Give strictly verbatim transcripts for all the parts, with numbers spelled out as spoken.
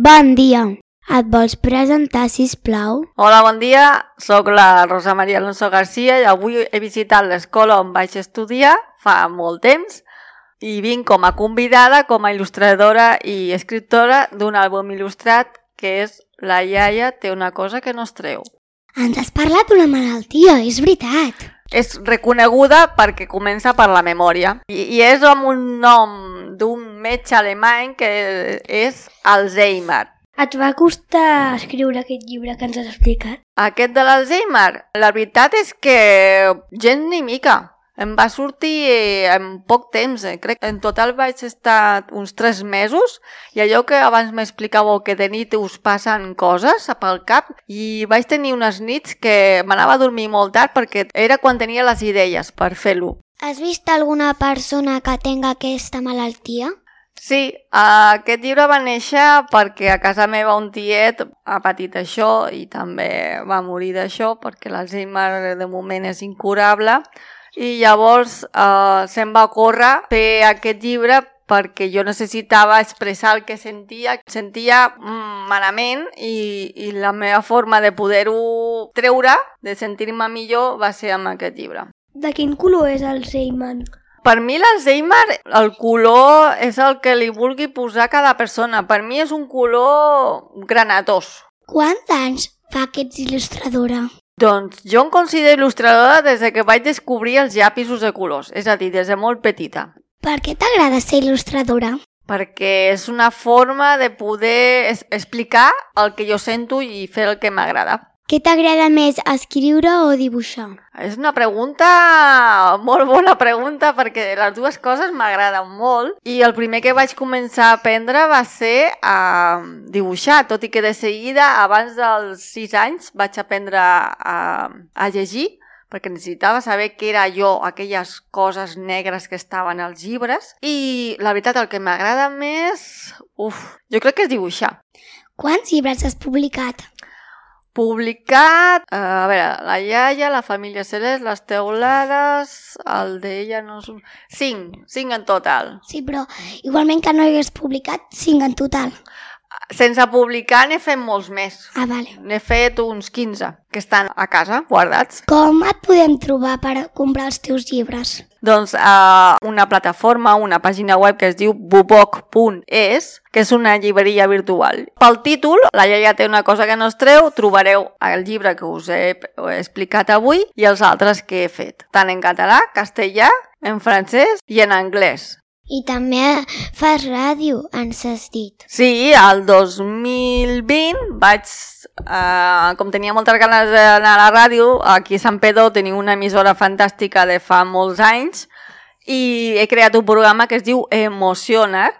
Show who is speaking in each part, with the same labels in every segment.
Speaker 1: Bon dia. Et vols presentar, sisplau?
Speaker 2: Hola, bon dia. Soc la Rosa Maria Alonso García i avui he visitat l'escola on vaig estudiar fa molt temps i vinc com a convidada, com a il·lustradora i escriptora d'un àlbum il·lustrat que és La iaia té una cosa que no es treu.
Speaker 1: Ens has parlat d'una malaltia, és veritat.
Speaker 2: És reconeguda perquè comença per la memòria i, i és amb un nom d'un metge alemany que és Alzheimer.
Speaker 1: Et va costar escriure aquest llibre que ens has explicat?
Speaker 2: Aquest de l'Alzheimer, la veritat és que gens ni mica. Em va sortir en poc temps, eh? Crec que en total vaig estar uns tres mesos i allò que abans m'explicàveu que de nit us passen coses pel cap i vaig tenir unes nits que m'anava a dormir molt tard perquè era quan tenia les idees per fer-lo.
Speaker 1: Has vist alguna persona que tenga aquesta malaltia?
Speaker 2: Sí, aquest llibre va néixer perquè a casa meva un tiet ha patit això i també va morir d'això perquè l'Alzheimer de moment és incurable. I llavors eh, se'm va ocórrer fer aquest llibre perquè jo necessitava expressar el que sentia. Sentia mm, malament i, i la meva forma de poder-ho treure, de sentir-me millor, va ser amb aquest llibre.
Speaker 1: De quin color és Alzheimer?
Speaker 2: Per mi l'Alzheimer, el color és el que li vulgui posar cada persona. Per mi és un color granatós.
Speaker 1: Quants anys fa que ets il·lustradora?
Speaker 2: Doncs jo em considero il·lustradora des que vaig descobrir els llapisos de colors, és a dir, des de molt petita.
Speaker 1: Per què t'agrada ser il·lustradora?
Speaker 2: Perquè és una forma de poder es- explicar el que jo sento i fer el que m'agrada.
Speaker 1: Què t'agrada més, escriure o dibuixar?
Speaker 2: És una pregunta, molt bona pregunta, perquè les dues coses m'agraden molt i el primer que vaig començar a aprendre va ser a dibuixar, tot i que de seguida, abans dels sis anys, vaig aprendre a, a llegir, perquè necessitava saber què era jo, aquelles coses negres que estaven als llibres, i la veritat, el que m'agrada més, uf, jo crec que és dibuixar.
Speaker 1: Quants llibres has publicat?
Speaker 2: Publicat, eh, a veure, La iaia, La família Celeste, Les teulades, el d'ella no és... Cinc, cinc en total.
Speaker 1: Sí, però igualment que no hagués publicat, cinc en total.
Speaker 2: Sense publicar n'he fet molts més.
Speaker 1: Ah, vale.
Speaker 2: N'he fet uns quinze, que estan a casa, guardats.
Speaker 1: Com et podem trobar per comprar els teus llibres?
Speaker 2: Doncs a una plataforma, una pàgina web que es diu buboc punt es, que és una llibreria virtual. Pel títol, La iaia té una cosa que no es treu, trobareu el llibre que us he explicat avui i els altres que he fet, tant en català, castellà, en francès i en anglès.
Speaker 1: I també fas ràdio, ens has dit.
Speaker 2: Sí, el dos mil vint vaig, eh, com tenia moltes ganes d'anar a la ràdio, aquí a Sant Pedro teniu una emissora fantàstica de fa molts anys i he creat un programa que es diu Emocionar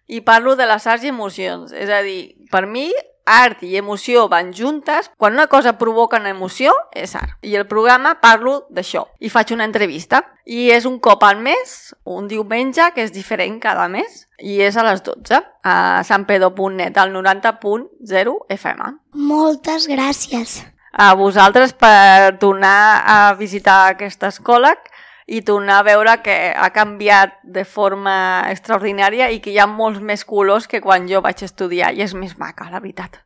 Speaker 2: i parlo de les arts i emocions. És a dir, per mi, art i emoció van juntes. Quan una cosa provoca una emoció, és art. I el programa parlo d'això. I faig una entrevista. I és un cop al mes, un diumenge, que és diferent cada mes. I és a les dotze, a sanpedro punt net, al noranta punt zero F M.
Speaker 1: Moltes gràcies.
Speaker 2: A vosaltres per tornar a visitar aquesta escola i tornar a veure que ha canviat de forma extraordinària i que hi ha molts més colors que quan jo vaig estudiar i és més maca, la veritat.